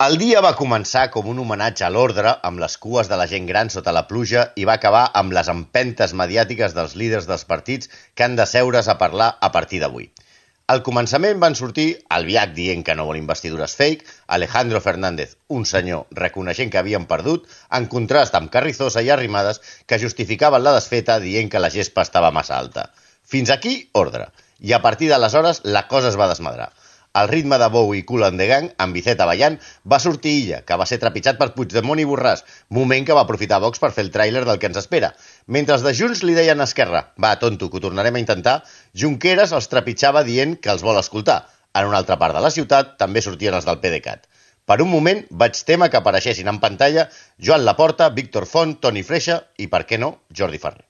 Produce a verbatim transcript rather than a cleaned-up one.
El dia va començar com un homenatge a l'ordre, amb les cues de la gent gran sota la pluja, i va acabar amb les empentes mediàtiques dels líders dels partits que han d'asseure's a parlar a partir d'avui. Al començament van sortir Albiach dient que no vol investidures fake, Alejandro Fernández, un senyor reconeixent que havien perdut, en contrast amb Carrizosa i Arrimadas, que justificaven la desfeta dient que la gespa estava massa alta. Fins aquí, ordre. I a partir d'aleshores la cosa es va desmadrar. Al ritme de Bou i Kool and the Gang, amb Vicet Avallán, va sortir Illa, que va ser trepitjat per Puigdemont i Borràs, moment que va aprofitar Vox per fer el tràiler del que ens espera. Mentre els de Junts li deien a Esquerra, va, tonto, que ho tornarem a intentar, Junqueras els trepitjava dient que els vol escoltar. En una altra part de la ciutat també sortien els del PDeCAT. Per un moment vaig témer que apareixessin en pantalla Joan Laporta, Víctor Font, Toni Freixa i, per què no, Jordi Farré.